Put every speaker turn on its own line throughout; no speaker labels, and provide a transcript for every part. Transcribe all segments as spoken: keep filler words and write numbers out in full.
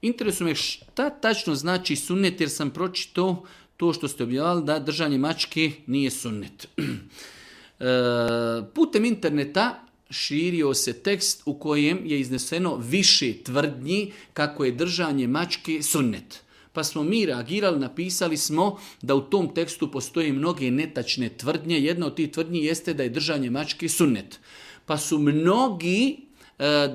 Interesuje me šta tačno znači sunnet, jer sam pročitao to što ste objavili da držanje mačke nije sunnet. E, putem interneta širio se tekst u kojem je izneseno više tvrdnji kako je držanje mačke sunnet. Pa smo mi reagirali, napisali smo da u tom tekstu postoje mnoge netačne tvrdnje. Jedna od tih tvrdnji jeste da je držanje mačke sunnet. Pa su mnogi,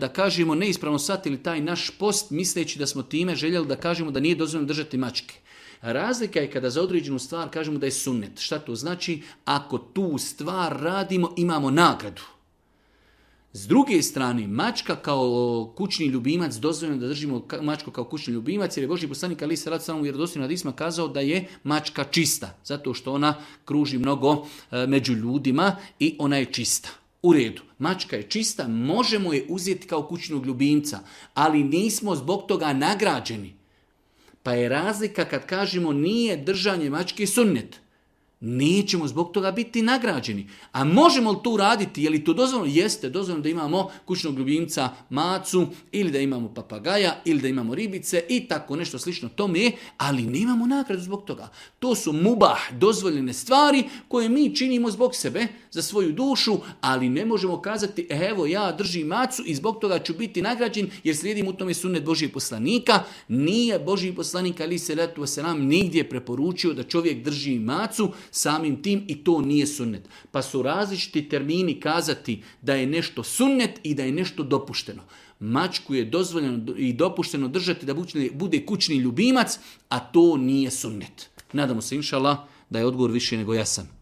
da kažemo, neispravno shvatili taj naš post, misleći da smo time željeli da kažemo da nije dozvoljeno držati mačke. Razlika je kada za određenu stvar kažemo da je sunnet. Šta to znači? Ako tu stvar radimo, imamo nagradu. S druge strane, mačka kao kućni ljubimac, dozvoljeno da držimo mačku kao kućni ljubimac, jer je Božji poslanik alejhi selatu selam u vjerodostojnim hadisima kazao da je mačka čista, zato što ona kruži mnogo među ljudima i ona je čista. U redu, mačka je čista, možemo je uzeti kao kućnog ljubimca, ali nismo zbog toga nagrađeni. Pa je razlika kad kažemo nije držanje mačke sunnet. Nećemo zbog toga biti nagrađeni. A možemo li to uraditi? Je li to dozvoljeno? Jeste, dozvoljeno da imamo kućnog ljubimca macu, ili da imamo papagaja, ili da imamo ribice i tako nešto slično tome, ali nemamo nagradu zbog toga. To su mubah, dozvoljene stvari koje mi činimo zbog sebe, za svoju dušu, ali ne možemo kazati evo ja držim macu i zbog toga ću biti nagrađen jer slijedim u tome sunnet Božijeg poslanika. Nije Božji poslanik alejhi selatu vesselam nigdje preporučio da čovjek drži macu, samim tim i to nije sunnet. Pa su različiti termini kazati da je nešto sunnet i da je nešto dopušteno. Mačku je dozvoljeno i dopušteno držati da bude kućni ljubimac, a to nije sunnet. Nadamo se, inšallah, da je odgovor više nego jasan.